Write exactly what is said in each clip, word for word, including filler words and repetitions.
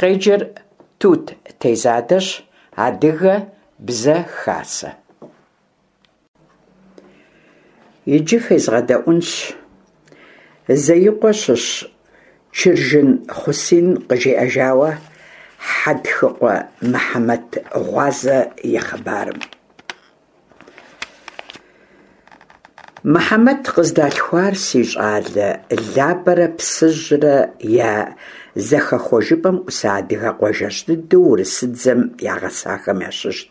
Къеджэр Тут Тезадэщ, Адыгэ Бзэ Хасэ. Иджы фезгъэдэӏуэнщ Зеикъуэ щыщ Чыржын Хъусин къыжиӏэжауэ Хьэтхыкъуэ Мыхьэмэт гъуазэ и хъыбарым. Мыхьэмэт къыздалъхуар, си щӀалэ, Лабэрэ Псыжьрэ я зэхэхуэжыпӀэм Ӏуса адыгэ къуажэжь дыдэу урысыдзэм ягъэсахэм ящыщт,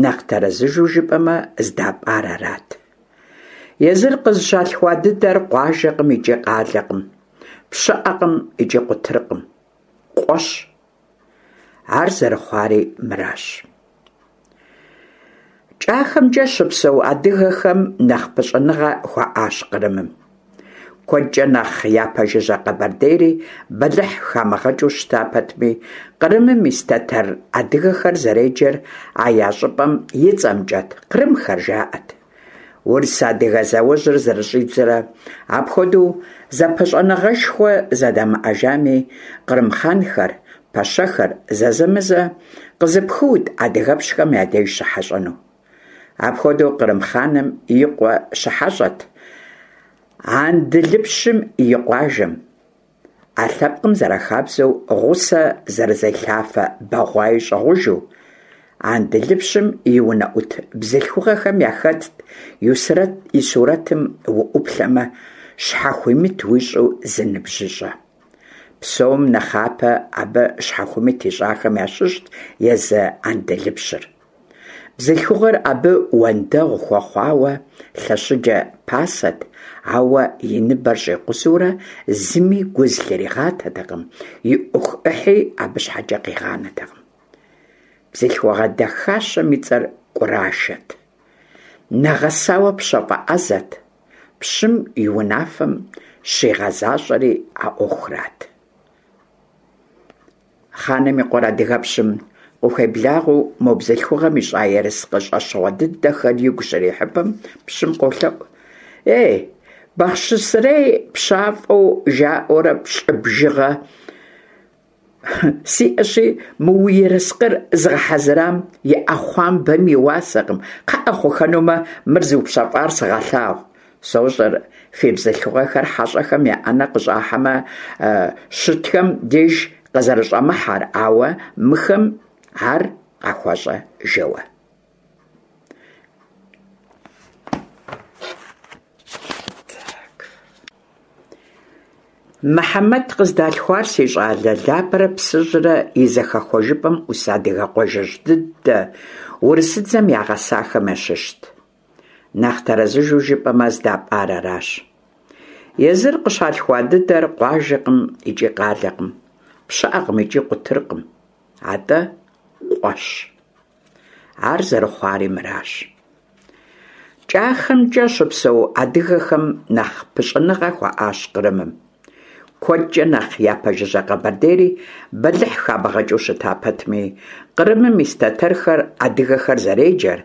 нэхъ тэрэзыжу жыпӀэмэ, здапӀар арат. Езыр къызыщалъхуа дыдэр къуажэкъым икӀи къалэкъым, пщыӀэкъым икӀи къутыркъым, къуэщ. Ар зэрыхъуари мыращ. КӀахэмкӀэ щыпсэу адыгэхэм нэхъ пыщӀэныгъэ хуаӀащ Кърымым. КуэдкӀэ нэхъ япэжыжьэ Къэбэрдейри бэлыхь хамыгъэкӀыу щыта пэтми, Кърымым ис тэтэр адыгэхэр зэреджэр а я щӀыпӀэм и цӀэмкӀэт – «кърымхэр» жаӀэт. Урыс-адыгэ зауэжьыр зэрыщӀидзэрэ апхуэдэу зэпыщӀэныгъэшхуэ зэдамыӀэжами, кърым хъанхэр, пэщэхэр зэзэмызэ къызыпхыут адыгэпщхэм я деж щыхьэщӀэну. Апхуэдэу кърым хъаным и къуэ щыхьэщӀэт Андылыпщым и къуажэм. А лъэпкъым зэрахабзэу гъусэ зэрызелъафэ бэгъуаи щӀыгъужу. Андылыпщым и унэӀут бзылъхугъэхэм яхэтт и сурэтым уӀуплъэмэ, щхьэхуимыт уищӀу зы ныбжьыщӀэ. Псом нэхъапэ абы щхьэхуимыт ищӀахэм ящыщт езы Андылыпщыр. Бзылъхугъэр абы уэндэгъу хуэхъуауэ лъэщыджэ пасэт, ауэ и ныбэр щӀикъузэурэ зыми гу зылъригъатэтэкъым, и Ӏуэху Ӏыхьи абы щхьэкӀэ къигъанэтэкъым. Бзылъхугъэ дахащэм и цӀэр КӀурашэт. Нэгъэсауэ пщафӀэ Ӏэзэт, пщым и унафэм щигъэзащӀэри а Ӏуэхурат. Хъаным и къуэр адыгэпщым къыхуеблагъэу мо бзылъхугъэм ищӀа ерыскъы щӀэщыгъуэ дыдэхэр игу щрихьыпэм, пщым къолъэӀу: «Ей, Бахъшысэрей пщафӀэу жаӀэурэ пщӀы бжыгъэ сиӀэщи, мы уи ерыскъыр зыгъэхьэзырам и Ӏэхъуамбэм и уасэкъым, кхъыӀэ хъухэнумэ, мыр зыупщэфӀар сыгъэлъагъу. СощӀэр фи бзылъхугъэхэр хьэщӀэхэм я Ӏэнэ къыщӀахьэмэ щытхэм деж къызэрыщӀэмыхьэр, ауэ мыхэм ар къахуэщӀэ жэуэ». Мыхьэмэт къыздалъхуар, си щӀалэ, Лабэрэ Псыжьрэ я зэхэхуэжыпӀэм Ӏус адыгэ къуажэжь дыдэ урысыдзэм ягъэсахэм ящыщт. Нэхъ тэрэзыжу жыпӀэмэ, здапӀар аращ. Езыр къыщалъхуа дыдэр къуажэкъым икӀи къалэкъым, пщыӀэкъым икӀи къутыркъым, атӀэ къуэщ. Ар зэрыхъуари мыращ. КӀахэмкӀэ щыпсэу адыгэхэм нэхъ пыщӀэныгъэ хуаӀащ Кърымым. КуэдкӀэ нэхъ япэжыжьэ Къэбэрдейри бэлыхь хамыгъэкӀыу щыта пэтми, Кърымым ис тэтэрхэр адыгэхэр зэреджэр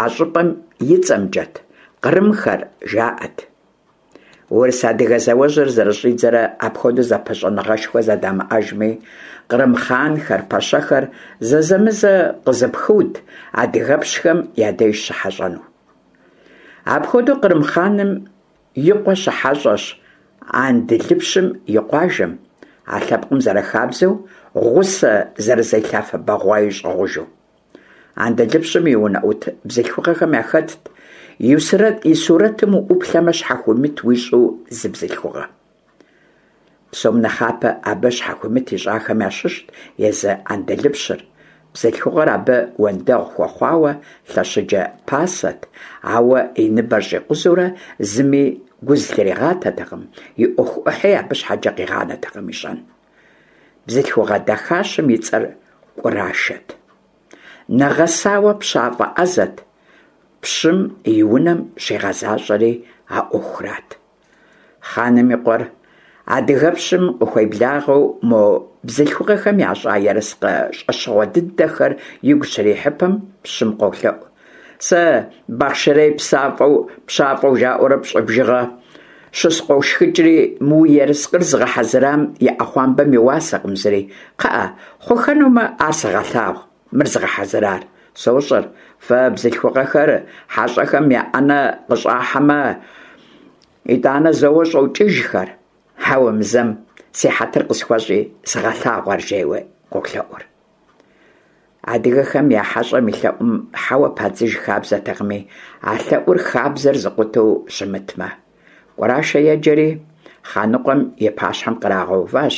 а щӀыпӀэм и цӀэмкӀэт – «кърымхэр» жаӀэт. Урыс-адыгэ зауэжьыр зэрыщӀидзэрэ апхуэдэу зэпыщӀэныгъэшхуэ зэдамыӀэжми, кърым хъанхэр, пэщэхэр зэзэмызэ къызыпхыут адыгэпщхэм я деж щыхьэщӀэну. Апхуэдэу кърым хъаным и къуэ щыхьэщӀэщ Андылыпщым и къуажэм, а лъэпкъым зэрахабзэу гъусэ зэрызелъафэ бэгъуаи щӀыгъужу. Андылыпщым и унэӀут бзылъхугъэхэм яхэтт и сурэтым уӀуплъэмэ, щхьэхуимыт уищӀу зы бзылъхугъэ. Псом нэхъапэ абы щхьэхуимыт ищӀахэм ящыщт езы Андылыпщыр. Бзылъхугъэр абы уэндэгъу хуэхъуауэ лъэщыджэ пасэт, ауэ и ныбэр щӀикъузэурэ зыми гу зылъригъатэтэкъым, и Ӏуэху Ӏыхьи абы щхьэкӀэ къигъанэтэкъым ищӀэн. Бзылъхугъэ дахащэм и цӀэр КӀурашэт. Нэгъэсауэ пщафӀэ Ӏэзэт, пщым и унэм щигъэзащӀэри а Ӏуэхурат. Хъаным и къуэр адыгэпщым къыхуеблагъэу мо бзылъхугъэхэм ящӀа ерыскъы щӀэщыгъуэ дыдэхэр игу щрихьыпэм, пщым къолъэӀу: «Сэ Бахъшырей псафӀэу пщафӀэу жаӀэурэ пщӀы бжыгъэ щыскъуошхыкӏри, мы уи ерыскъыр зыгъэхьэзырам и ӏэхъуамбэм и уасэкъым зыри. Кхъыӏэ, хъухэнумэ, ар сыгъэлъагъу, мыр зыгъэхьэзырар. Сощӏэр, фэ бзылъхугъэхэр хьэщӏэхэм я ӏэнэ къыщӏахьэмэ, итӏанэ зэуэ щӏокӏыжхэр. Хьэуэ, мы зэм си хьэтыр къысхуэщӏи, сыгъэлъагъу ар, жеуэ къолъэӏур. Адыгэхэм я хьэщӏэм и лъэӏум хьэуэ падзыж хабзэтэкъыми, а лъэӏур хабзэр зыкъутэу щымытмэ. Кӏурашэ еджэри, хъаныкъуэм и пащхьэм кърагъэуващ.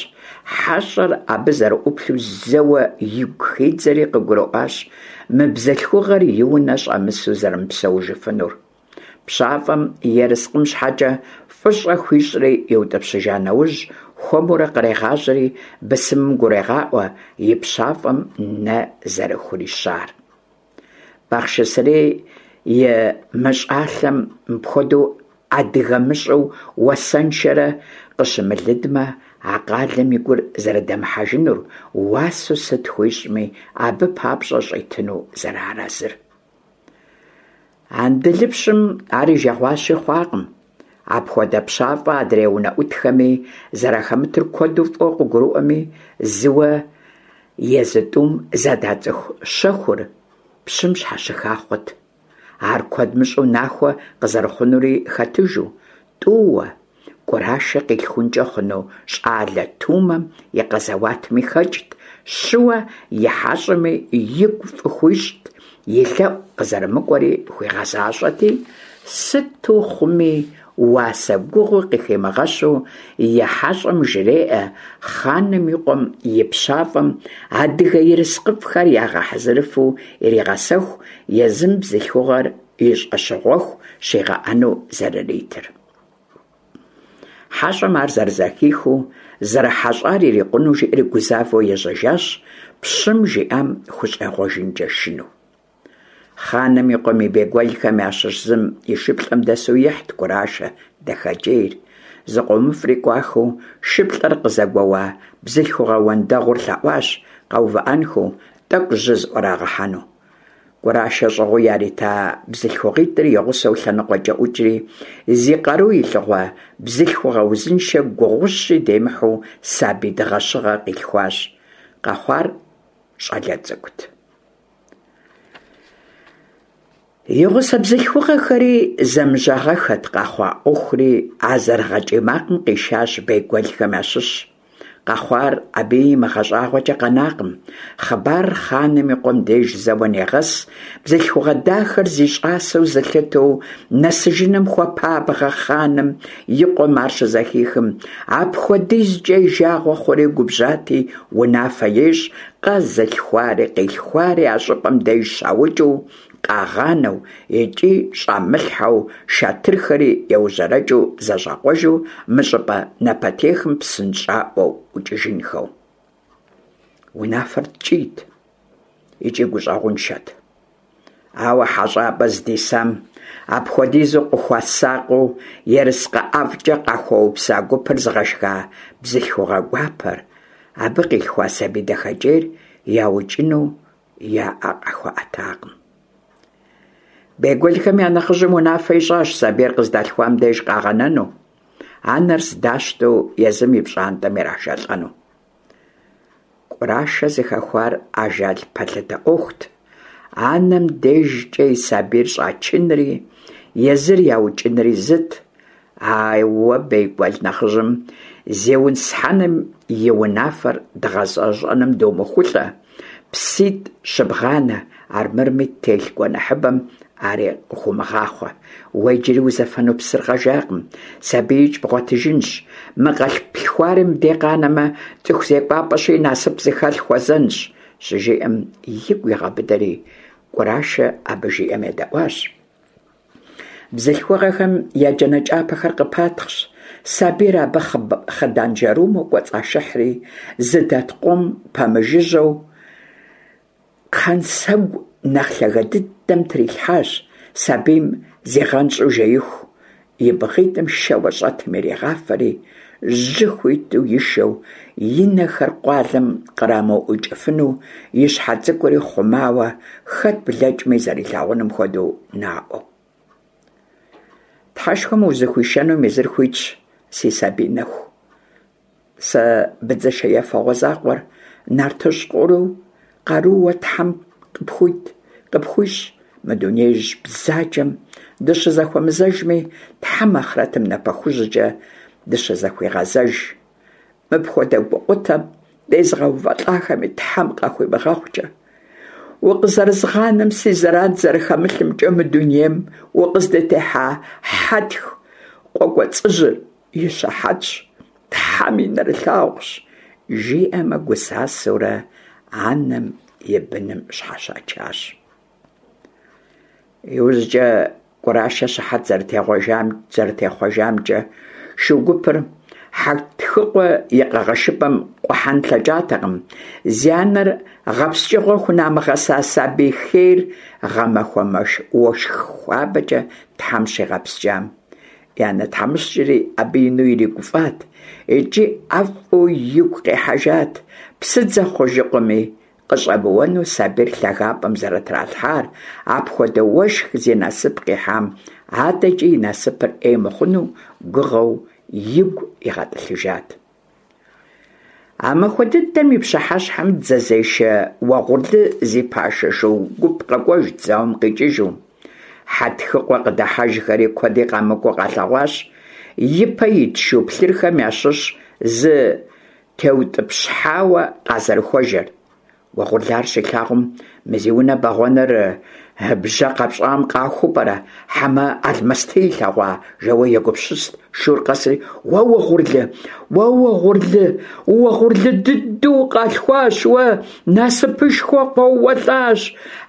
Хьэщӏэр абы зэрыӏуплъэу зэуэ игу хидзэри къыгурыӏуащ мы бзылъхугъэр и унэ щӏэмысу зэрымыпсэужыфынур. ПщафӀэм ерыскъым щхьэкӀэ фӀыщӀэ хуищӀри иутӀыпщыжа нэужь, хуэмурэ кърегъажьэри бысымым гурегъаӀуэ и пщафӀэм нэ зэрыхурищар. Бахъшысэрей и мыщӀалъэм мыпхуэдэу адыгэ мыщӀэу уасэншэрэ къыщымылыдмэ, а къалэм и гур зэрыдэмыхьэжынур, уасэу сыт хуищӀми, абы папщӀэ щӀитыну зэрыарэзыр. Андылыпщым ар и жагъуащи хъуакъым. Апхуэдэ пщафӀэ адрей унэӀутхэми зэрахэмытыр куэду фӀыуэ къыгурыӀуэми, зыуэ езы тӀум зэдацӀыху щэхур пщым щхьэщыха хъут. Ар куэд мыщӀэу нахуэ къызэрыхъунури хэтыжу, тӀууэ Кӏурашэ къилъхункӀэ хъуну щӀалэ тумэм и къэзэуатми хэкӀт, щыуэ и хьэщӀэми игу фӀы хуищӀт, и лъэӀу къызэрымыкӀуэри хуигъэзащӀэти, сыту хъуми, уасэ гугъуи къыхимыгъэщу и хьэщӀэм жреӀэ хъаным и къуэм и пщафӀэм адыгэ ерыскъыфӀхэр ягъэхьэзырыфу иригъэсэху, езым бзылъхугъэр и щӀэщыгъуэху щигъэӀэну зэрыритыр. ХьэщӀэм ар зэрызэхихыу, зэрыхьэщӀар ирикъуну жиӀэри гузавэу ежьэжащ, пщым жиӀам хущӀегъуэжынкӀэ шынэу. Хъаным и къуэм и бейгуэлхэм ящыщ зым и шыплӀэм дэсу ихьт Кӏурашэ дахэкӀейр. ЗыкъомыфӀри кӀуахэу, шыплӀэр къызэгуэуа бзылъхугъэ уэндэгъур лъэӀуащ къэувыӀэнхэу, тӀэкӀу жьы зыӀурагъэхьэну. Кӏурашэ щӀыгъуу ярита бзылъхугъитӀыр и гъусэу лъэныкъуэкӀэ ӀукӀри, зи къару илъыгъуэ бзылъхугъэ узыншэ гугъущи демыхьу сабий дыгъэщыгъэ къилъхуащ. Къэхъуар щӀалэ цӀыкӀут. И гъусэ бзылъхугъэхэри зэмыжьагъэххэт къэхъуа Ӏуэхури а зэрыгъэкӀий макъым къишащ бейгуэлхэм ящыщ. Къэхъуар абыи имыгъэщӀагъуэкӀэ къэнакъым. Хъыбарыр хъаным и къуэм деж зэуэ негъэс, бзылъхугъэ дахэр зи щӀасэу зылъытэу нэсыжыным хуэпабгъэ хъаным и къуэм ар щызэхихым, апхуэдизкӀэ и жагъуэ хъури губжьати, унафэ ещӀ къэзылъхуари къилъхуари а щӀыпӀэм деж щаукӀыу къагъанэу икӀи щӀамылъхьэу, шатырхэри еужьэрэкӀыу зэщӀакъуэжу мы щӀыпӀэ напэтехым псынщӀаӀуэу ӀукӀыжынхэу. Унафэр ткӀийт икӀи гущӀэгъуншэт. Ауэ хьэщӀапӀэ здисам апхуэдизу къыхуэсакъыу ерыскъы ӀэфӀкӀэ къахуэупса гупыр зыгъэшха бзылъхугъэ гуапэр, абы къилъхуа сабий дахэкӀейр яукӀыну я Ӏэ къахуэӀэтакъым. Бейгуэлхэм я нэхъыжьым унафэ ищӀащ сабийр къыздалъхуам деж къагъэнэну, анэр здащтэу езым и пщӀантӀэм ирашэлӀэну. Кӏурашэ зыхэхуар ажал пэлъытэ Ӏуэхут. Анэм дежкӀэ и сабийр щӀачынри, езыр яукӀынри зыт. Ауэ бейгуэл нэхъыжьым «Зиусхьэным и унафэр дгъэзэщӀэным думыхулӀэ, пситӀ щыбгъанэ, армырми ттелъ гуэныхьыбэм ари къыхыумыгъахъуэ. Уэ иджыри узэфэну псыр къэжакъым, сабиикӀ бгъуэтыжынщ. Мы къэплъхуари мыбдеж къанэмэ, цӀыху зекӀуапӀэщи, насып зыхэлъ хуэзэнщ», щыжиӀэм, игу игъэбыдэри, Кӏурашэ абы жиӀэм едэӀуащ. Бзылъхугъэхэм я джанэ кӀапэхэр къыпатхъщ, сабийр абы хъыдан жэрумэу кӀуэцӀашыхьри, зыдэт къуэм пэмыжыжьэу кхъэнсэгу нэхъ лъагэ дыдэм трилъхьащ, сабийм зигъэнщӀу жеиху, и бгъитӀым шэуэ щӀэтым иригъафэри, жьы хуиту ишэу, и нэхэр къуалэм кърамыуӀукӀыфыну, и щхьэ цӀыкӀури хъумауэ, хэт блэкӀми зэрилъагъуным хуэдэу наӀуэу. Тхьэшхуэм узыхуишэнум езыр хуитщ, си сабий нэху. Сэ быдзышэ ефэгъуэ закъуэр нартыжь къару къарууэ Тхьэм къыпхуит, къыпхуищӀ. Мы дунеижь бзаджэм дыщызэхуэмызэжми, Тхьэм ахърэтым напэхужькӀэ дыщызэхуигъэзэж. Мыпхуэдэ гукъутэм дезыгъэувэлӀахэми Тхьэм къахуимыгъэгъукӀэ. Укъызэрызгъанэм си зэран зэрыхэмылъымкӀэ мы дунейм укъыздытехьа Хьэтх къуэкӀуэцӀыжьыр и щыхьэтщ, Тхьэм и нэрылъагъущ, жиӀэмэ гусасэурэ анэм и быным щхьэщачащ. ИужькӀэ КӀурашэ щыхьэт зэрытехъуэжамкӀэ, шу гупыр Хьэтхыкъуэ и къэгъэшыпӀэм къухьэн лъэкӀатэкъым, зи анэр гъэпскӀыгъуэ хунамыгъэса сабий хейр гъэмахуэ уэшх хуабэкӀэ Тхьэм щигъэпскӀам. И анэ тхьэмыщкӀэри абы ину иригуфӀат икӀи ӀэфӀу игу къихьэжат псыдзэ хъужыкъуэми къыщӀэмыуэну сабийр лъагапӀэм зэрытралъхьар, апхуэдэ уэшх зи насып къихьам адэкӀи и насыпыр Ӏей мыхъуну гугъэу игу игъэтӀылъыжат. А махуэ дыдэм и пщыхьэщхьэм дзэзешэ Уэгъурлы зи пашэ шу гуп къэкӀуэжт зауэм къикӀыжу. Хьэтхыкъуэ къыдыхьэжхэри куэди къамыкӀуу къалъэгъуащ, ипэ ит шу плъырхэм ящыщ зы теутӀыпщхьауэ къазэрыхуэжэр. Уэгъурлы ар щилъагъум, мы зи унэ бэгъуэныр бжьэ къэпщӀам къахуу пӀэрэ, хьэмэ алмэсты илъэгъуа, жэуэ егупсыст. Шур къэсри, уэ Уэгъурлы, уэ Уэгъурлы, Уэгъурлы дыдэу укъалъхуащ уэ, насыпышхуэ къоуэлӀащ.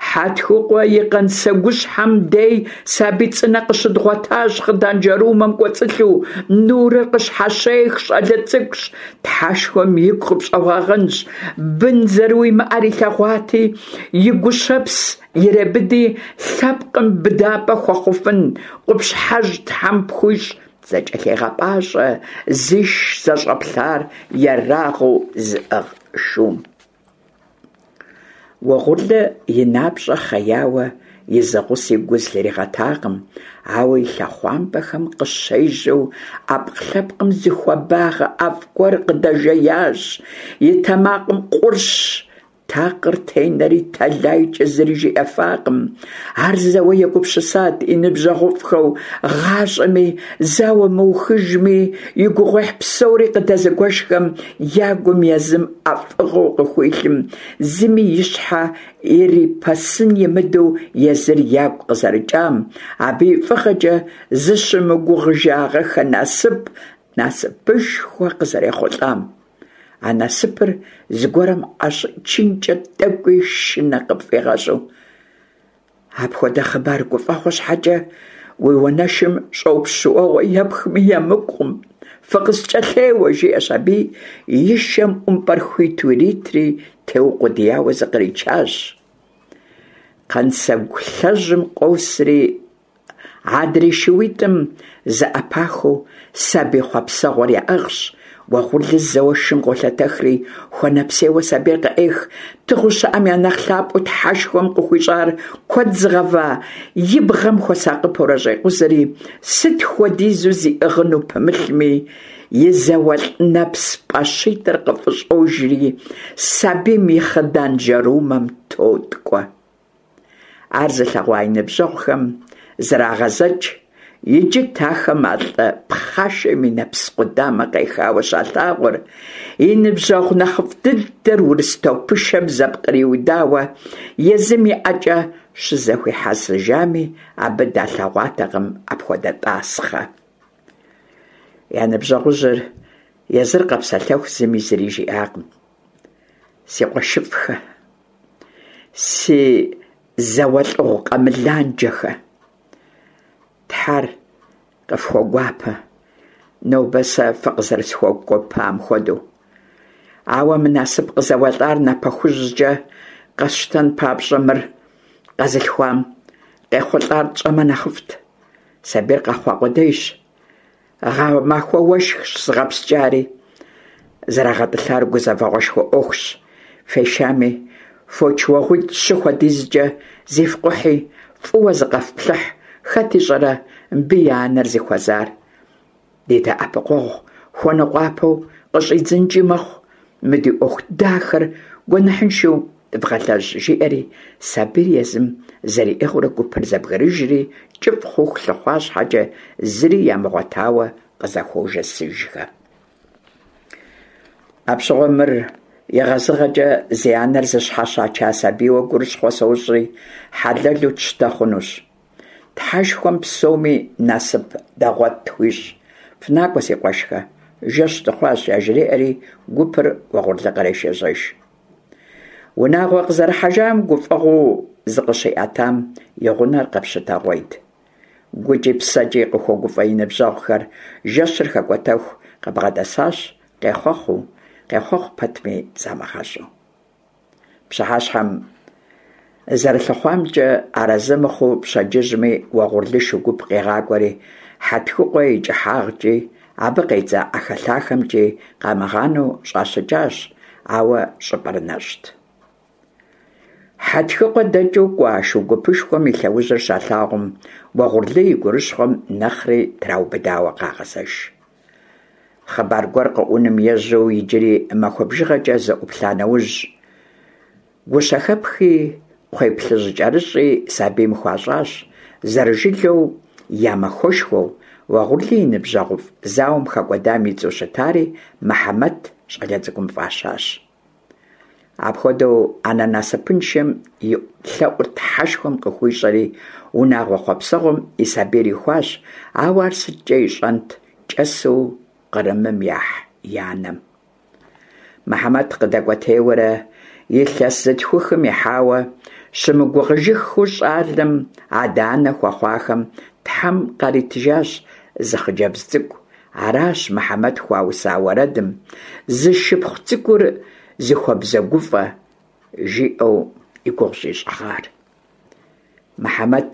Хьэтхыкъуэ и кхъэнсэгущхьэм дей сабий цӀынэ къыщыдгъуэтащ, хъыданжэрумэм кӀуэцӀылъу, нурыр къыщхьэщех, щӀалэ цӀыкӀущ. Тхьэшхуэм игу къыпщӀэгъуагъэнщ, бын зэрыуимыӀэр илъэгъуати, и гущэпс иребыди, лъэпкъым быдапӀэ хуэхъуфын къупщхьэжь Тхьэм пхуищӀ, зэкӀэлъегъэпӀащӀэ зиш зэщӀэплъар ерагъыу зыӀыгъ шум. Уэгъурлы и напщӀэ хъеяуэ и зы гъуси гу зылъригъэтакъым, ауэ и лъэхъуамбэхэм къыщежьэу Ӏэпкълъэпкъым зы хуабагъэ ӀэфӀ гуэр къыдэжеящ, и тэмакъым къурш такъыр тенэри тэлайкӀэ зыри жиӀэфакъым. Ар зэуэ егупсысат и ныбжьэгъуфӀхэу гъащӀэми, зауэ мыухыжми и гугъуехь псори къыдэзыгуэшхэм я гум езым ӀэфӀыгъэу къыхуилъым, зыми и щхьэ ирипэсын имыдэу езыр ягу къызэрыкӀам, абы и фӀыгъэкӀэ зыщымыгугъыжагъэххэ насып, насыпышхуэ къызэрехъулӀам. А насыпыр зыгуэрым ӀэщӀичынкӀэ тӀэкӀуи шынэ къыпфӀигъэщӀу. Апхуэдэ хъыбар гуфӀэгъуэ щхьэкӀэ уи уанэшым щӀопщ уэгъуэ епхми емыкӀукъым, фыкъыскӀэлъеуэ, жиӀэщ аби, и шэм ӀумпӀэр хуиту иритри, теукъуэдияуэ зыкъричащ. Кхъэнсэгу лъэжьым къосри, адрей шууитӀым зэӀэпахыу сабий хъуэпсэгъуэр яӀыгъщ. Уэгъурлы зэуэ шым къолъэтэхри, хуэнэпсейуэ сабийр къыӀех, тыгъэу щыӀэм я нэхъ лъапӀэу Тхьэшхуэм къыхуищӀар куэд зыгъэва и бгъэм хуэсакъыпэурэ щӀекъузэри, сыт хуэдизу зиӀыгъыну пымылъми, и зауэлӀ нэпс пӀащитӀыр къыфӀыщӀожри, сабийм и хъыдан жьэрумэм тоткӀуэ. Ар зылъэгъуа и ныбжьэгъухэм зрагъэзэкӀ, иджыт ахэм а лӀы пхъашэм и нэпс къудамэ къехауэ щалъагъур, и ныбжьэгъу нэхъыфӀ дыдэр урыс топышэм зэпкъриудауэ езым и ӀэкӀэ щызэхуихьэсыжами, абы далъэгъуатэкъым апхуэдэ тӀасхъэ. Я ныбжьэгъужьыр езыр къэпсэлъэху зыми зыри жиӀакъым. Си къуэшыфӀхэ, си зауэлӀыгъу къэмыланджэхэ, Тхьэр къыфхуэгуапэ, нобэ сэ фыкъызэрысхуэгуэпам хуэдэу. Ауэ мы насып къызэуэлӀар напэхужькӀэ къэсщтэн папщӀэ мыр къэзылъхуам къехъулӀар тщӀэмэ нэхъыфӀт. Сабийр къэхъуа къудейщ, гъэмахуэ уэшхщ зыгъэпскӀари. ЗэрагъэтӀылъар гузэвэгъуэшхуэ Ӏуэхущ. Фешами, фоч уэгъуитӀ-щы хуэдизкӀэ зифкъухьи, фӀыуэ зыкъэфплъыхь, хэт ищӀэрэ, мыбы и анэр зыхуэзар. Ди дэӀэпыкъуэгъу хуэныкъуапэу къыщӀидзынкӀи мэхъу, мы ди Ӏуэху дахэр гуэныхьыншэу дывгъэлэжь, – жиӀэри, сабийр езым зэриӀыгъыурэ гупыр зэбгрыжри, кӀыфӀ хъуху лъыхъуа щхьэкӀэ, зыри ямыгъуэтауэ къызэхуожэсыжхэ. Апщыгъуэм мыр егъэзыгъэкӀэ зи анэр зыщхьэщача сабийуэ гурыщхъуэ сощӀри, хьэлэлу тщтэ хъунущ. Тхьэшхуэм псоми насып дэгъуэт тхуищӀ. ФынакӀуэ, си къуэшхэ, жэщ дыхъуащ, яжреӀэри гупыр Уэгъурлы кърешэжьэж. Унагъуэ къызэрыхьэжам гуфӀэгъуэу зыкъыщиӀэтам и гъунэр къэпщытэгъуейт. ГукӀи псэкӀи къыхуэгуфӀэ и ныбжьэгъухэр жэщыр хэкӀуэтэху къыбгъэдэсащ, къехъуэхъуу, къехъуэхъу пэтми замыгъэщӀу. Пщыхьэщхьэм зэрылъыхъуамкӀэ арэзы мыхъуу, пщэдджыжьми Уэгъурлы шу гуп къигъакӀуэри, Хьэтхыкъуэ и кӀыхьагъкӀи, абы къедза ӀэхэлъахэмкӀи къамыгъанэу щӀащыкӀащ, ауэ щӀыпӀэр нэщӀт. Хьэтхыкъуэ дэкӀыу кӀуа шу гупышхуэм и лъэужьыр щалъагъум, Уэгъурлы и гурыщхъуэм нэхъри траубыдауэ къагъэзэж. Хъыбар гуэр къэӀуным ежьэу иджыри махуэ бжыгъэкӀэ зэӀуплъа нэужь, гущэхэпхи кхъуейплъыжькӀэрыщӀи сабийм хуащӀащ, зэрыжылэу я махуэшхуэу, Уэгъурлы и ныбжьэгъуфӀ зауэм хэкӀуэдам и цӀэу щытари Мыхьэмэт щӀалэ цӀыкӀум фӀащащ. Апхуэдэу анэ насыпыншэм и лъэӀур Тхьэшхуэм къыхуищӀэри, унагъуэ хъуэпсэгъуэм и сабийр ихуащ, ауэ ар сыткӀэ ищӀэнт кӀэсу Кърымым яхь и анэм. Мыхьэмэт къыдэкӀуэтейуэрэ илъэс зытхухым ихьауэ, щымыгугъыжыххэу щӀалэм адэ-анэ хуэхъуахэм Тхьэм къаритыжащ зы хъыджэбз цӀыкӀу. Аращ Мыхьэмэт хуауса уэрэдым «Зы шыпхъу цӀыкӀур зыхуэбзэгуфӀэ» жиӀэу и гугъу щӀищӀыгъар. Мыхьэмэт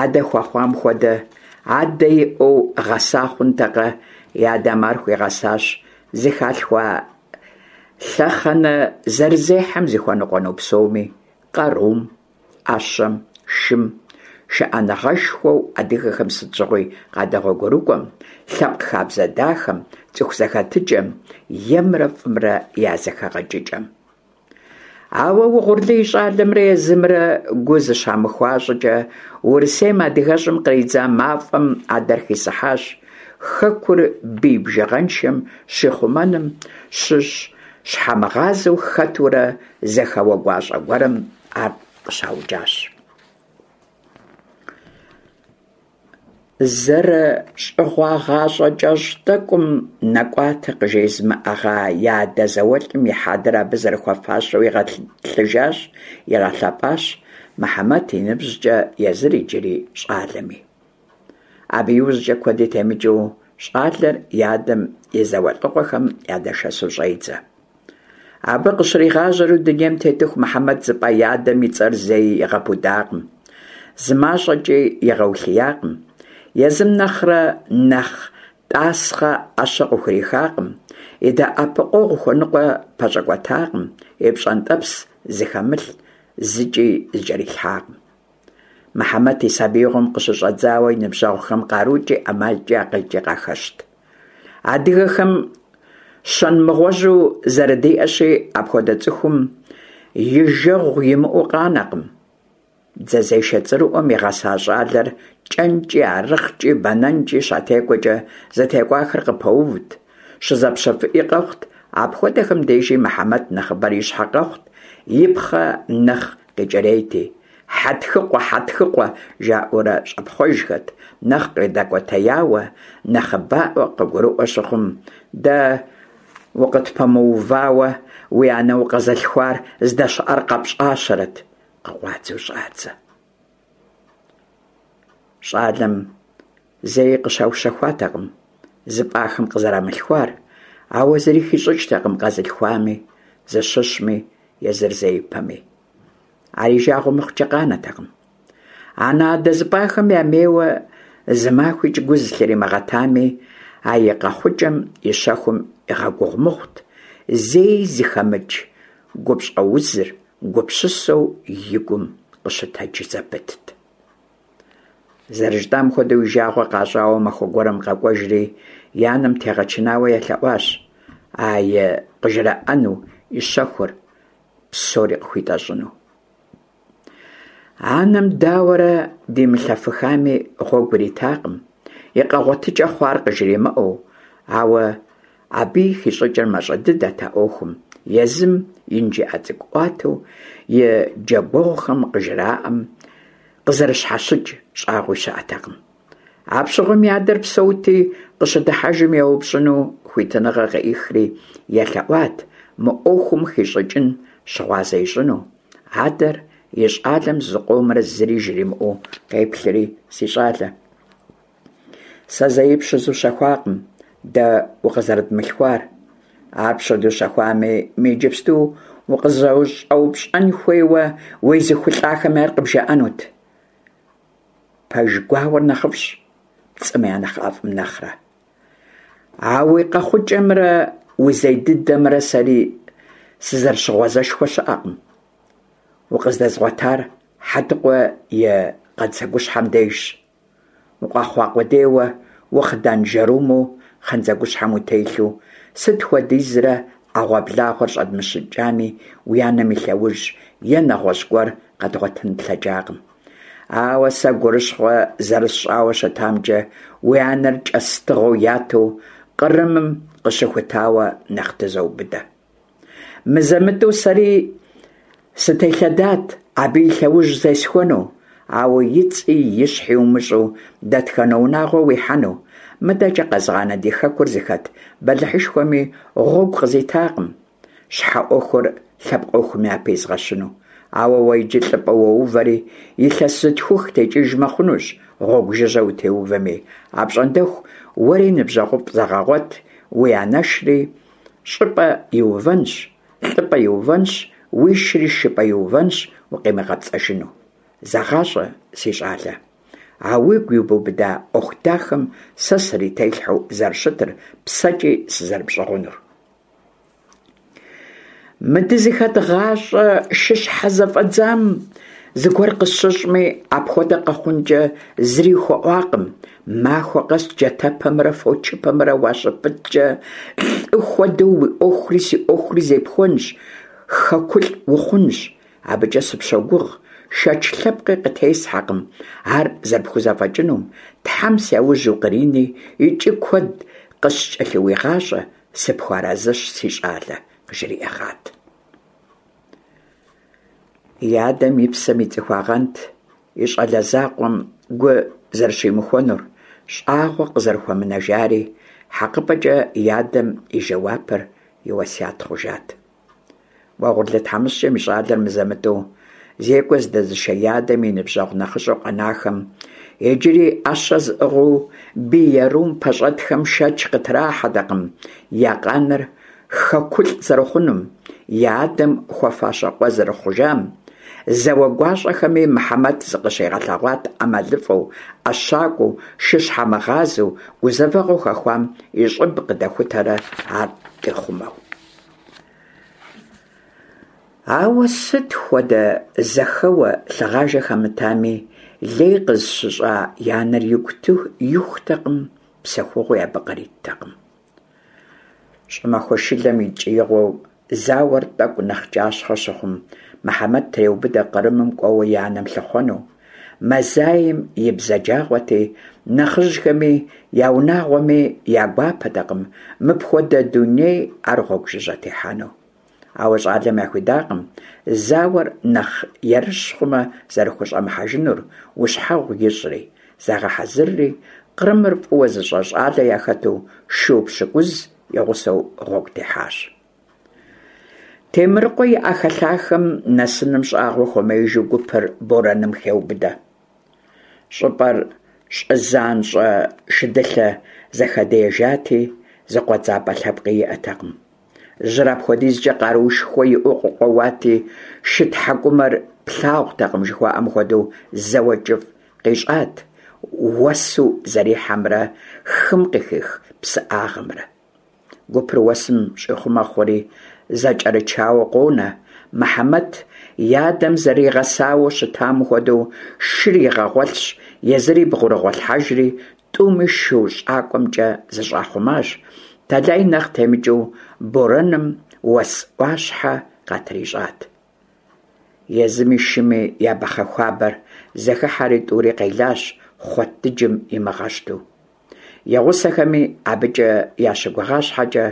адэ хуэхъуам хуэдэ адэ иӀэу гъэса хъунтэкъэ, и адэм ар хуигъэсащ зыхалъхуа лъэхъэнэ зэрызехьэм зыхуэныкъуэну псоми: къарум, Ӏэщэм, шым, шыӀэныгъэшхуэу адыгэхэм сыт щыгъуи къадэгъуэгурыкӀуэм, лъэпкъ хабзэ дахэм, цӀыху зэхэтыкӀэм, емрэ фӀымрэ я зэхэгъэкӀыкӀэм. Ауэ Угъурлы и щӀалэмрэ езымрэ гу зыщамыхуа щӀыкӀэ Урысейм адыгэщӀым къридза мафӀэм адэр хисыхьащ, хэкур бий бжыгъэншэм щихъумэным щыщ щхьэмыгъазэу хэтурэ зэхэуэ гуащӀэ гуэрым ар къыщаукӀащ. ЗэрыщӀыгъуа гъащӀэ кӀэщӀ тӀэкӀум нэкӀуатэ къыжезымыӀэгъа и адэ зауэлӀым и хьэдэр абы зэрыхуэфащэу игъэтӀылъыжащ, игъэлъэпӀащ, Мыхьэмэт и ныбжькӀэ езыр иджыри щӀалэми. Абы иужькӀэ куэди темыкӀыу щӀалэр и адэм и зауэлӀыгъуэхэм ядэшэсу щӀедзэ. Абы къыщригъажьэри дунейм тетыху Мыхьэмэт зыпӀа и адэм и цӀэр зэи игъэпудакъым, зымащӀэкӀи игъэулъиякъым, езым нэхърэ нэхъ тӀасхъэ Ӏэщэ къыхурихакъым, и дэӀэпыкъуэгъу хуэныкъуэ пэщӀэкӀуэтакъым, и пщӀэнтӀэпс зыхэмылъ зыкӀи зыкӀэрилъхьакъым. Мыхьэмэт и сабиигъуэм къыщыщӀэдзауэ и ныбжьэгъухэм къарукӀи, ӀэмалкӀи, акъылкӀи къахэщт. Адыгэхэм щэн мыгъуэжьу зэрыдиӀэщи, апхуэдэ цӀыхум и жэгъу имыӀэу къанэкъым. Дзэзешэ цӀэрыӀуэм игъэса щӀалэр кӀэнкӀи, арыхъкӀи, бэнэнкӀи щатекӀуэкӀэ зытекӀуахэр къыпэувт, щызэпщэфыӀи къэхъут, апхуэдэхэм дежи Мыхьэмэт нэхъыбэрэ и щхьэ къэхъут, и пхъэ нэхъ къикӀырейти. Хьэтхыкъуэ, Хьэтхыкъуэ, жаӀэурэ щӀэпхъуэжхэт, нэхъ къыдэкӀуэтеяуэ, нэхъыбаӀуэ къыгурыӀуэ щыхъум, дэ укъытпэмыувауэ уи анэ укъэзылъхуар здэщыӀэр къэпщӀащэрэт, къыкъуадзэу щӀадзэ. ЩӀалэм зэи къыщаущэхуатэкъым зыпӀахэм къызэрамылъхуар, ауэ зыри хищӀыкӀтэкъым къэзылъхуами, зыщыщми, езыр зеипэми. Ар и жагъуэ мыхъукӀэ къанэтэкъым. Анэ-адэ зыпӀахэм ямейуэ зы махуикӀ гу зылъримыгъэтами, а и къэхъукӀэм и щэхум игъэгугъу мыхъут, зэи зыхэмыкӀ гупщӀэузыр гупсысэу и гум къыщытэдж зэпытт. Зэрыжытӏам хуэдэу, и жагъуэ къащӏауэ махуэ гуэрым къэкӏуэжри, и анэм тегъэчынауэ елъэӏуащ а и къыжраӏэну и щэхур псори къыхуитӏэщӏыну. Анэм дауэрэ димылъэфыхами, гъуэгу иритакъым, и къэгъуэтыкӏэ хъуар къыжримыӏэу, ауэ абыи хищӏыкӏыр мащӏэ дыдэт а ӏуэхум, езым инжыӏэ цӏыкӏуӏуатэу и джэгуэгъухэм къыжраӏэм къызэрыщхьэщыкӏ щӏагъуи щыӏэтэкъым. Апщыгъуэм и адэр псэути, къыщыдыхьэжым еупщӏыну хуитыныгъэ къыӏихри, елъэӏуат мы ӏуэхум хищӏыкӏын щыгъуазэ ищӏыну. Адэр и щӏалэм зыкъомрэ зыри жримыӏэу къеплъри: «Си щӏалэ, сэ зэи пщызущэхуакъым дэ укъызэрыдмылъхуар. Ар пщыдущэхуами, мы иджыпсту укъызыщӏэупщӏэн хуейуэ уезыхулӏахэми ар къыбжаӏэнут. Пэж гуауэр нэхъыфӏщ, пцӏым я нэхъ ӏэфӏым нэхърэ. А уи къэхъукӏэмрэ узей дыдэмрэ сэри сызэрыщыгъуазэшхуэ щыӏэкъым. Укъыздэзгъуэтар Хьэтыкъуэ и къандзэгущхьэм дежщ. Укъэхъуа къудейуэ ухъыданжэрумэу къандзэгущхьэм утелъу, сыт хуэдизрэ ӏэгъуэблагъэр щӏэдмыщыкӏами, уи анэм и лъэужь е нэгъуэщӏ гуэр къэдгъуэтын тлъэкӏакъым. Ауэ сэ гурыщхъуэ зэрысщӏауэ щытамкӏэ, уи анэр кӏэс тыгъэу яту Кърымым къыщыхутауэ нэхъ тызоубыдэ. Мызэ-мытӏэу сэри сытелъэдат абы и лъэужь зесхуэну, ауэ и цӏи и щхьи умыщӏэу дэтхэнэ унагъуэ уихьэну, мыдэкӏэ къэзгъанэ ди хэкур зыхэт бэлыхьышхуэми гъуэгу къызитакъым щхьэ ӏуэхур лъэпкъ ӏуэхум япэ изгъэщыну. Ауэ уэ иджы лӏыпӏэ уоувэри, илъэс зытхух текӏыжмэ хъунущ гъуэгу жыжьэ утеувэми, апщӏондэху уэри ныбжьэгъуфӏ зэгъэгъуэт, уи анэшри щӏыпӏэ иувэнщ, лӏыпӏэ иувэнщ, уишри шыпӏэ иувэнщ укъимыгъэпцӏэжыну. Зэгъащӏэ, си щӏалэ, а уигу ибубыда ӏуэху дахэм сэ срителъхьэу зэрыщытыр, псэкӏи сызэрыпщӏыгъунур. Мы дызыхэт гъащӏэ шыщхьэзэфӏэдзам зыгуэр къысщыщӏми, апхуэдэ къэхъункӏэ зыри хуэӏуакъым. Махуэ къэс джатэпэмрэ фочыпэмрэ уащыпыткӏэ, лӏы хуэдэу уи ӏуэхури си ӏуэхури зепхуэнщ, хэкулӏ ухъунщ. Абыкӏэ сыпщогугъ, шэч лъэпкъи къытесхьэкъым ар зэрыпхузэфӏэкӏынум. Тхьэм сяужь укърини икӏи куэд къыскӏэлъыуигъащӏэ, сыпхуэарэзыщ, си щӏалэ», къыжриӏэгъат. И адэм и псэм ицӏыхуагъэнт и щӏалэ закъуэм гу зэрыщимыхуэнур, щӏагъуэ къызэрыхуэмынэжари, хьэкъыпӏэкӏэ и адэм и жэуапыр и уэсят хъужат. Уэгъурлы тхьэмыщкӏэм и щӏалэр мызэ-мытӏэу зекӏуэ здэзышэ и адэм и ныбжьэгъу нэхъыщӏэу къэнахэм, иджыри ӏэщэ зыӏыгъыу бий ерум пэщӏэтхэм шэч къытрахьэтэкъым я къаныр хэкулӏ зэрыхъунум, я адэм хуэфащэ къуэ зэрыхъужам. Зауэ гуащӏэхэми Мыхьэмэт зыкъыщигъэлъэгъуат ӏэмалыфӏэу, ӏэщакӏуэу, шыщхьэмыгъазэу, гузэвэгъуэ хэхуам и щӏыб къыдэхутэрэ ар къихъумэу. Ауэ сыт хуэдэ зэхэуэ лъыгъажэ хэмытами, лей къызыщыщӏа и анэр игу ихутэкъым, псэхугъуи абы къриттэкъым. Щӏымахуэ шылэм и ткӏиигъуэу зауэр тӏэкӏу нэхъ кӏащхъэ щыхъум, Мыхьэмэт треубыдэ Кърымым кӏуэуэ и анэм лъыхъуэну. Мазаем и бзаджагъуэти, нэхъыжьхэми я унагъуэми я гуапэтэкъым мыпхуэдэ дуней ар гъуэгу жыжьэ техьэну. Ауэ щӏалэм яхуидакъым зауэр нэхъ ерыщ хъумэ зэрыхущӏэмыхьэжынур, ущхьэгъу ищӏри, загъэхьэзырри, Кърымыр фӏыуэ зыщӏэ щӏалэ яхэту шу пщыкӏуз и гъусэу гъуэгу техьащ. Темрыкъуэ и ӏэхэлъахэм нэсыным щӏагъуэ хуэмеижу гупыр борэным хеубыдэ. Щӏыпӏэр щӏы занщӏэ шыдылъэ зэхэдиежати, зыкъуэдзапӏэ лъэпкъи иӏэтэкъым. Жьыр апхуэдизкӏэ къаруушхуэ иӏэу къыкъуэуати, шы тхьэкӏумэр плъагъутэкъым жыхуаӏэм хуэдэу зэуэ кӏыфӏ къищӏат уэсу зэрихьэмрэ хым къыхих псыӏагъэмрэ. Гупыр уэсым щӏихъумэ хъури, зэкӏэрычауэ къонэ, Мыхьэмэт, и адэм зэригъэсауэ щытам хуэдэу, шыр игъэгъуэлъщ, езыри бгъурыгъуэлъхьэжри, тӀуми шу щӀакӀуэмкӀэ зыщӀахъумащ. Тэлай нэхъ темыкӀыу борэным уэс Ӏуащхьэ къатрищӀат. Езыми шыми я быхъэ хуабэр зэхыхьэри тӀури къелащ, хъуэт дыджым имыгъэщту. И гъусэхэми абыкӀэ ящыгугъа щхьэкӀэ,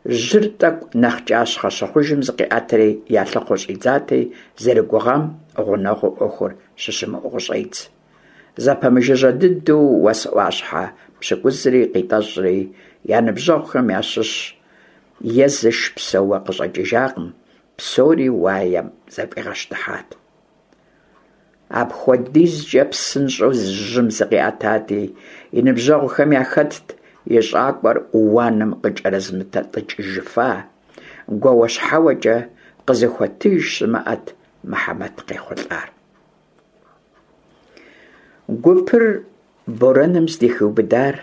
жьыр тӀэкӀу нэхъ кӀащхъэ щыхъужым зыкъиӀэтри ялъыхъуэу щӀидзати, зэрыгугъам гъунэгъуу Ӏуэхур щыщымыӀэу къыщӀедз. Зэпэмыжыжьэ дыдэу уэс Ӏуащхьэ пщыкӀузри къитӀэщӀри, я ныбжьэгъухэм ящыщ е зыш псэууэ къыщӀэкӀыжакъым, псори уаем зэфӀигъэщтыхьат. АпхуэдизкӀэ псынщӀэу жьым зыкъиӀэтати, и ныбжьэгъухэм яхэтт и щӀакӀуэр уанэм къыкӀэрызымытӀэтӀыкӀыжыфа, гуауэщхьэуэкӀэ къызыхуэтыж щымыӀэт Мыхьэмэт къехъулӀар. Гупыр борэным здыхиубыдар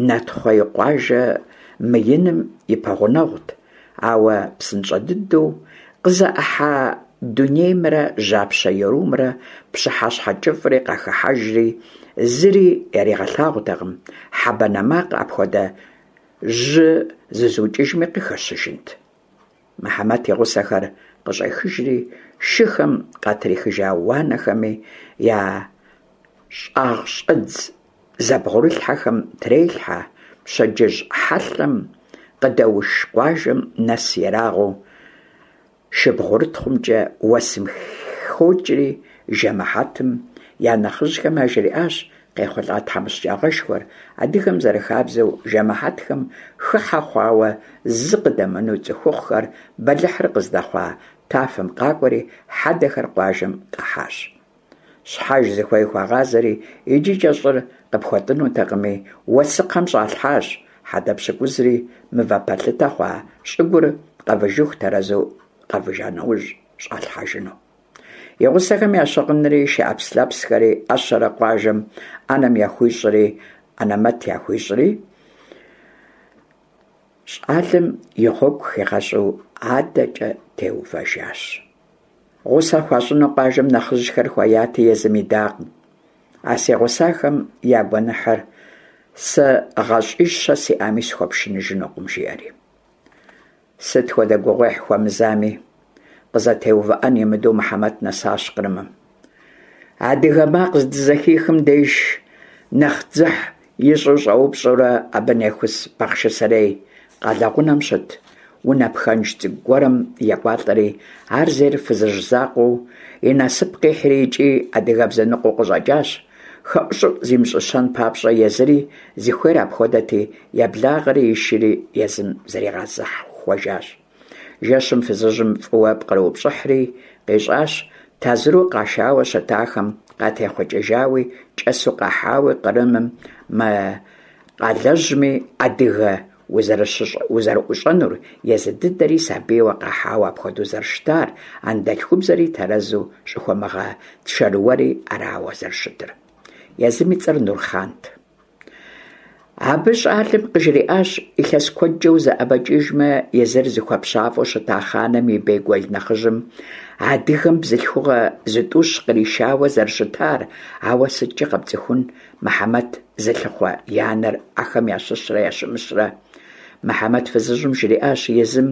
Натхъуей къуажэ мыиным и пэгъунэгъут, ауэ псынщӀэ дыдэу къызэӀыхьа дунеймрэ жьапщэ ерумрэ пщыхьэщхьэ кӀыфӀри къахыхьэжри, зыри яригъэлъагъутэкъым, хьэ банэ макъ апхуэдэ жьы зызукӀыжми къыхэщыжынт. Мыхьэмэт и гъусэхэр къыщӀехыжри, шыхэм къатрихыжа уанэхэми я щӀагъщӀэдз зэбгъурылъхьэхэм трелъхьэ, пщэдджыжь хьэлъэм къыдэуш къуажэм нэс ерагъыу шыбгъурытхъумкӀэ уэсым хокӀри, жэмыхьэтым я нэхъыжьхэм яжриӀащ къехъулӀа тхьэмыщкӀагъэшхуэр, адыгэм зэрыхабзэу жэмыхьэтхэм хыхьэ хъуауэ зы къыдэмынэу цӀыхухъухэр бэлыхьыр къыздэхъуа тафэм къакӀуэри, хьэдэхэр къуажэм къахьащ. Щхьэж зыхуей хуагъазэри, иджыкӀэ щӀыр къыпхуэтӀынутэкъыми, уэсыкхъэм щӀалъхьащ хьэдэ пщыкӀузри, мывэ пэлъытэ хъуа щӀыгур къэвыжыху тэрэзу къэвыжа нэужь щӀалъхьэжыну. И гъусэхэм я щыгъынри, шы Ӏэпслъэпсхэри, Ӏэщэрэ къуажэм Ӏэнэм яхуищӀри, Ӏэнэмэт яхуищӀри, щӀалэм и гъуэгу хигъэщӀу адэкӀэ теувэжащ. Гъусэ хуащӀыну къуажэм нэхъыжьхэр хуеяти, езым идакъым. А си гъусахэм я гуэныхьыр сэ гъащӀищэ сиӀами схуэпшыныжынукъым, жиӀэри. Сыт хуэдэ гугъуехь хуэмызами, къызэтеувыӀэн имыдэу Мыхьэмэт нэсащ Кърымым. Адыгэ макъ здызэхихым деж нэхъ дзыхь ищӀу щӀэупщӀэурэ абы нехус Бахъшысэрей къалэгъунэм щыт унэ пхэнж цӀыкӀу гуэрым екӀуалӀэри, ар зейр фызыжь закъуэу и насып къихьри икӀи адыгэбзэ ныкъуэу къыщӀэкӀащ, хэӀущӀыӀу зимыщӀыщэн папщӀэ езыри зыхуейр апхуэдэти, еблагъэри и шыри езым зэригъэзэхуэжащ. Жэщым фызыжьым фӀыуэ пкърыупщӀыхьри къищӀащ тазыру къашауэ щытахэм къатехъукӀыжауи, кӀэсу къахьауи Кърымым мы къалэжьми адыгэ узэрыӀущӀэнур, езы дыдэри сабийуэ къахьауэ апхуэдэу зэрыщытар, анэдэлъхубзэри тэрэзу щӀыхуэмыгъэшэрыуэри арауэ зэрыщытыр. Езым и цӀэр Нурхъант. Абы щӀалэм къыжриӀащ илъэс куэдкӀэ узэӀэбэкӀыжмэ, езыр зыхуэпщафӀэу щыта хъаным и бейгуэл нэхъыжьым адыгэм бзылъхугъэ зытӀущ къришауэ зэрыщытар, ауэ сыткӀи къэпцӀыхун Мыхьэмэт зылъыхъуэ и анэр ахэм ящыщрэ ящымыщрэ. Мыхьэмэт фызыжьым жриӀащ езым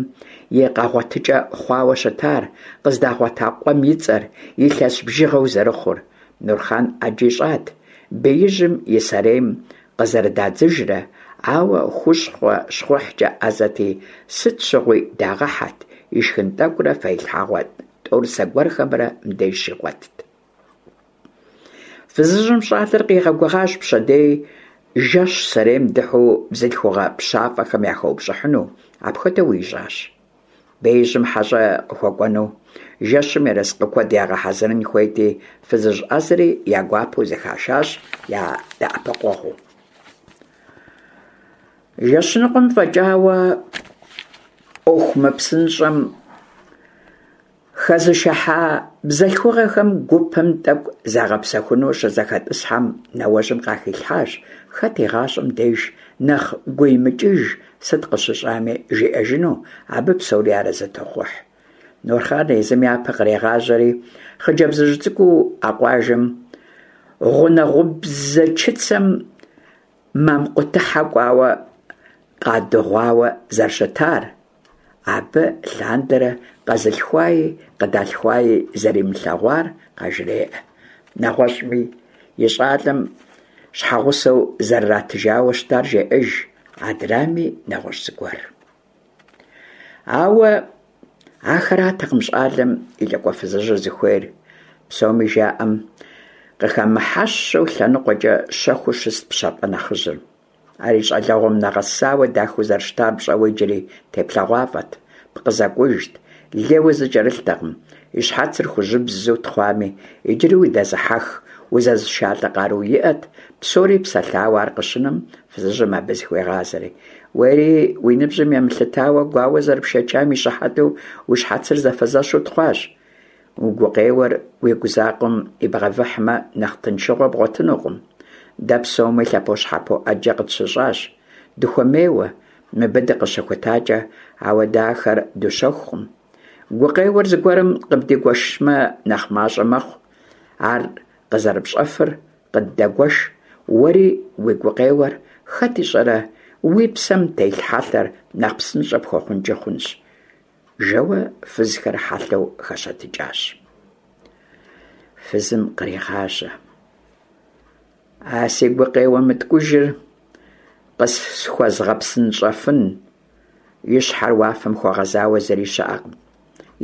и къэгъуэтыкӀэ хъуауэ щытар, къыздагъуэта къуэм и цӀэр, илъэс бжыгъэу зэрыхъур. Нурхъан Ӏэджи щӀат беижьым и сэрейм къызэрыдадзыжрэ, ауэ хущхъуэ щхъухькӀэ Ӏэзэти, сыт щыгъуи дагъэхьэт, ишхын тӀэкӀурэ фэилъхьэгъуэ тӀорысэ гуэрхэмрэ мыбдеж щигъуэтт. Фызыжьым щӀалэр къигъэгугъащ пщэдей жэщ сэрейм дыхьэу бзылъхугъэ пщафӀэхэм яхэупщӀыхьыну, апхуэдэуи ищӀащ. Беижьым хьэщӀэ къыхуэкӀуэну жэщым ерыскъы куэд ягъэхьэзырын хуейти, фызыжь Ӏэзэри я гуапэу зэхашащ я дэӀэпыкъуэгъуу. Жэщ ныкъуэм фӀэкӀауэ Ӏуэху мыпсынщӀэм хэзышыхьа бзылъхугъэхэм гупым тӀэкӀу загъэпсэхуну щызэхэтӀысхьэм, нэуэжьым къахилъхьащ хэт и гъащӀэм деж нэхъ гуимыкӀыж сыт къыщыщӀами жиӀэжыну, абы псори арэзы тохъухь. Нурхъан езым япэ кърегъажьэри, хъыджэбзыжь цӀыкӀуу а къуажэм гъунэгъубзэ чыцэм мамкъутыхьэ кӀуауэ къадыгъуауэ зэрыщытар, абы лъандэрэ къэзылъхуаи къыдалъхуаи зэримылъэгъуар къажреӀэ. НэгъуэщӀми и щӀалэм щхьэгъусэу зэрыратыжауэ щытар жеӀэж, адрами нэгъуэщӀ зыгуэр. Ауэ ахэртэкъым щӀалэм и лӀыкӀуэ фызыжьыр зыхуейр. Псоми жаӀэм къыхэмыхьэщэу лъэныкъуэкӀэ щэхуу щыст пщафӀэ нэхъыжьыр. Ар и щӀалэгъуэм нэгъэсауэ дахэу зэрыщытар пщӀэуэ иджыри теплъэгъуафӀэт, пкъы зэкӀужт, лейуэ зыкӀэрылътэкъым, и щхьэцыр хужьыбзэу тхъуами, иджыри удэзыхьэх, узэзышалӀэ къару иӀэт. Псори псэлъауэ ар къыщынэм, фызыжьым абы зыхуегъазэри: «Уэри уи ныбжьым емылъытауэ, гуауэ зэрыпшэчам и щыхьэту уи щхьэцыр зэфэзэщу тхъуащ. Уи гукъеуэр уигу закъуэм ибгъэвыхьмэ, нэхъ тыншыгъуэ бгъуэтынукъым. Дэ псоми лъэпощхьэпо Ӏэджэ къытщыщӀащ, дыхуэмейуэ, мыбы дыкъыщыхутакӀэ, ауэ дэ ахэр дущэхукъым. Гукъеуэр зыгуэрым къыбдигуэшмэ, нэхъ мащӀэ мэхъу. Ар къызэрыпщӀэфыр къыддэгуэш, уэри уи гукъеуэр, хэт ищӀэрэ, уи псэм телъ хьэлъэр нэхъ псынщӀэ пхуэхъункӀи хъунщ», жэуэ фызхэр хьэлъэу хэщэтыкӀащ. Фызым кърегъажьэ: «А си гукъеуэ мыткӀужыр къысхуэзгъэпсынщӀэфын, и щхьэр уафэм хуэгъэзауэ зыри щыӀэкъым.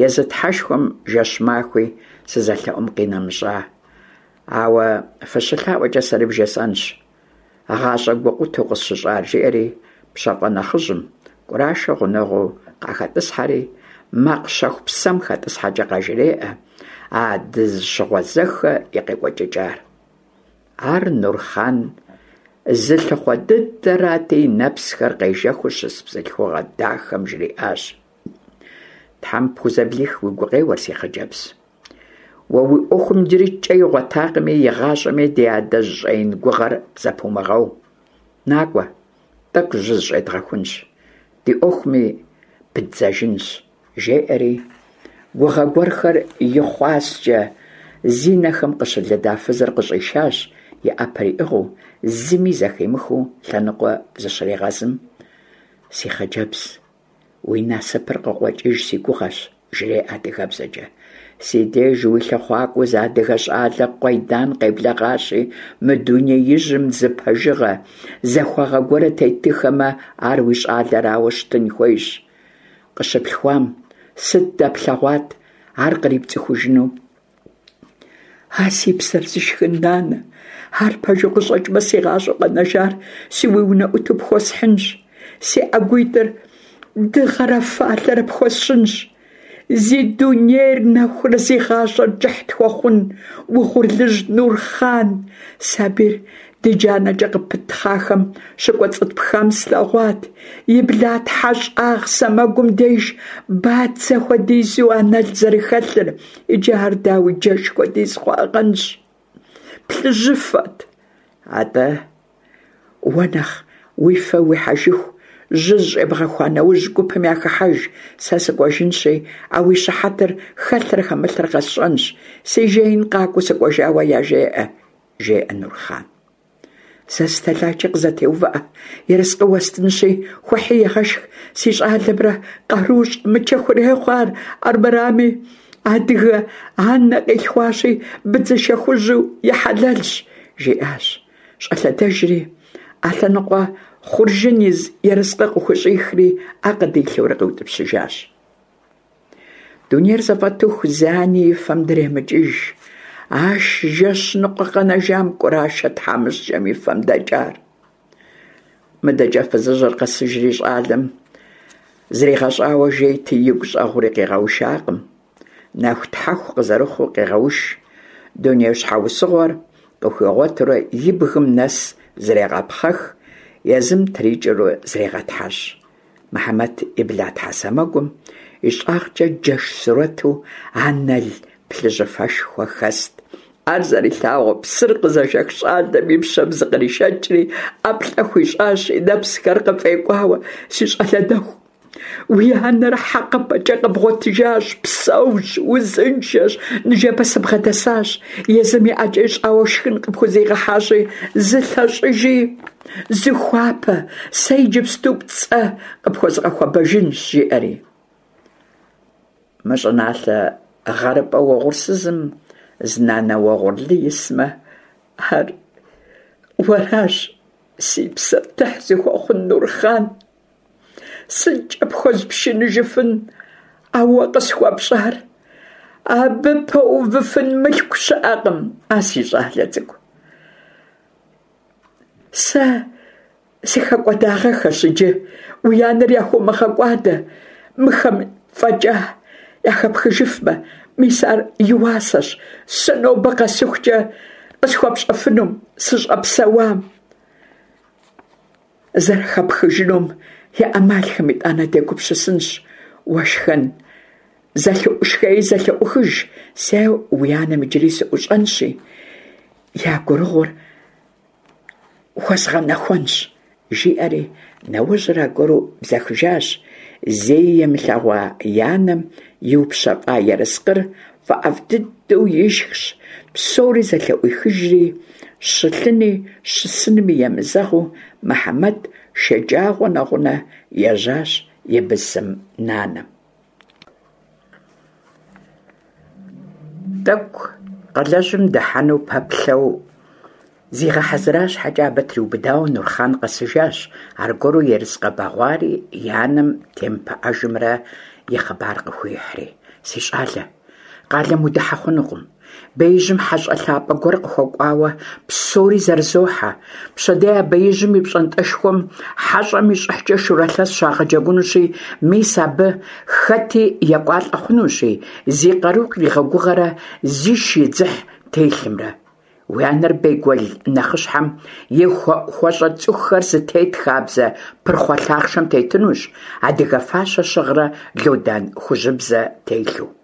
Езы Тхьэшхуэм жэщ-махуи сызэлъэӀум къинэмыщӀа. Ауэ фыщылъаӀуэкӀэ сэри вжесӀэнщ гъащӀэ гукъутэу къысщыщӀар», жиӀэри пщафӀэ нэхъыжьым КӀурашэ гъунэгъуу къахэтӀысхьэри, макъ щэху псэм хэтӀысхьэкӀэ къажреӀэ а дызыщыгъуэзэххэ и къекӀуэкӀыкӀар. Ар Нурхъан зылъыхъуэ дыдэрати, и нэпсхэр къежэхыу щыс бзылъхугъэ дахэм жриӀащ: «Тхьэм пхузэблих уи гукъеуэр, си хъыджэбз. Уэ уи Ӏуэхум иджыри кӀэ игъуэтакъыми, игъащӀэми ди адэжь щӀэин гугъэр зэпумыгъэу. НакӀуэ, тӀэкӀу жьы зыщӀедгъэхунщ, ди Ӏуэхуми пыддзэжынщ», жеӀэри, гугъэ гуэрхэр и хъуаскӀэ зи нэхэм къыщылыда фызыр къыщӀишащ, и Ӏэпэр иӀыгъыу, зыми зэхимыхыу лъэныкъуэ зыщрегъэзым: «Си хъыджэбз, уи насыпыр къыкъуэкӀыж си гугъэщ», жреӀэ адыгэбзэкӀэ. «Си деж уи лъыхъуакӀуэу зы адыгэ щӀалэ къуейдан къеблэгъащи, мы дунеижьым зы пэжыгъэ, захуагъэ гуэрэ тетыххэмэ, ар уи щӀалэрауэ щытын хуейщ. Къыщыплъхуам сыт дэплъэгъуат ар кърипцӀыхужыну?» «А си псэр зышхын нанэ, ар пэжу къыщӀэкӀмэ, си гъащӀэу къэнэжар си уи унэӀуту пхуэсхьынщ, си ӀэгуитӀыр дыгъэрэ фалъэрэ пхуэсщӀынщ. Зи дунейр нэхурэ зи гъащӀэр кӀыхь тхуэхъун угъурлыжь Нурхъан, сабийр ди джанэкӀэ къыпытхъахэм щыкӀуэцӀытпхам слъэгъуат, и блатхьэщӀагъ сэмэгум деж бадзэ хуэдизу анэл зэрыхэлъыр, иджы ар дауи джэш хуэдиз хъуагъэнщ, плъыжьыфэт. АтӀэ уэ нэхъ уи фэ уихьэжыху жьы зыщӀебгъэхуа нэужь гупым яхыхьэж, сэ сыкӀуэжынщи, а уи щыхьэтыр хэлърэ хэмылърэ къэсщӀэнщ, си жеин къакӀуэу сыкӀуэжауэ яжеӀэ», жеӀэ Нурхъан. «Сэ сытэлайкӀэ къызэтеувыӀэ, ерыскъы уэстынщи, хуэхьи егъэшх, си щӀалэмрэ къару щӀэмычэ хурехъу ар, армырами адыгэ анэ къилъхуащи, быдзышэ хужьу и хьэлэлщ», жиӀащ. ЩӀэлъэдэжри, Ӏэлъэныкъуэ хъуржын из ерыскъы къыхущӀихри, Ӏэ къыдилъэурэ къиутӀыпщыжащ. Дунейр зэфӀэтыху зы ани и фэм дремыкӀыж, а жэщ ныкъуэ къэнэжам КӀурашэ тхьэмыщкӀэм и фэм дэкӀар. МыдэкӀэ фызыжьыр къэсыжри щӀалэм зригъэщӀауэ жейти, игу щӀэгъури къигъэушакъым. Нэху-тхьэху къызэрыхъуу къегъэуш, дуней щхьэусыгъуэр къыхуигъуэтурэ и бгым нэс зрегъэпхъэх, езым трикӀэурэ зрегъэтхьэщӀ. Мыхьэмэт и блатхьэ сэмэгум и щӀагъкӀэ джэш сурэту анэл плъыжьыфэшхуэ хэст. Ар зэрилъагъуу псыр къызэжэх щӀалэм и пщэм зыкъришэкӀри ӀэплӀэ хуищӀащ, и нэпсхэр къыфӀекӀуауэ: «Си щӀалэ нэху, Уи анэр хьэкъыпӀэкӀэ къэбгъуэтыжащ, псэущ, узыншэщ, ныжэбэ сыбгъэдэсащ, езым и ӀэкӀэ ищӀауэ шхын къыпхузигъэхьащи, зылъэщӀыжи зыхуапэ, сэ иджыпсту пцӀэ къыпхуэзгъэхуэбэжынщ, жиӀэри. Мы щӀыналъэ гъэрыпӀэ угъурсызым зы нанэ угъурлы исмэ, ар уэращ, си псэр тыхь зыхуэхъун Нурхъан. СыткӀэ пхуэзпшыныжыфын а уэ къысхуэпщӀар? Абы пэувыфын мылъку щыӀэкъым, а си щӀалэ цӀыкӀу. Сэ сыхэкӀуэдагъэххэщ иджы, уи анэр яхыумыгъэкӀуадэ, мыхэм фӀэкӀа яхэпхыжыфмэ, мис ар и уасэщ сэ нобэ къэсыхукӀэ къысхуэпщӀэфынум, сыщӀэпсэуам. Зэрыхэпхыжынум и Ӏэмалхэм итӀанэ дегупсысынщ. Уэ шхэн шхи зэлъыӀухыж, сэ уи анэм иджыри сыӀущӀэнщи, я гурыгъур хуэзгъэнэхуэнщ, жиӀэри нэужьыр аргуэру бзэхыжащ. Зэи имылъэгъуа и анэм иупщэфӀа ерыскъыр фӀэӀэфӀ дыдэу ишхщ, псори зэлъыӀуихыжри, щылъыни щысынми емызэгъыу, Мыхьэмэт шэджагъуэ нэгъунэ ежьащ и бысым нанэм. ТӀэкӀу къалэжьым дыхьэну пэплъэу зигъэхьэзыра щхьэкӀэ, абы триубыдауэ Нурхъан къэсыжащ, аргуэру ерыскъы бэгъуари и анэм темыпыӀэжымрэ и хъыбар къыхуихьри. – Си щӀалэ, къалэм удыхьэ хъунукъым. Беижьым хьэщӀэ лъапӀэ гуэр къыхуэкӀуауэ псори зэрызохьэ. Пщэдей а беижьым и пщӀантӀэшхуэм хьэщӀэм и щӀыхькӀэ шурэ лъэс щагъэджэгунущи, мис абы хэти екӀуалӀэ хъунущ зи къару къигъэгугъэрэ зиш и дзыхь телъымрэ. Уи анэр бейгуэл нэхъыщхьэм и хуэӀухуэщӀэ цӀыхухэр зытет хабзэ пырхъуэ лъахъшэм тетынущ, адыгэ фащэ щыгърэ лодан хужьыбзэ телъу.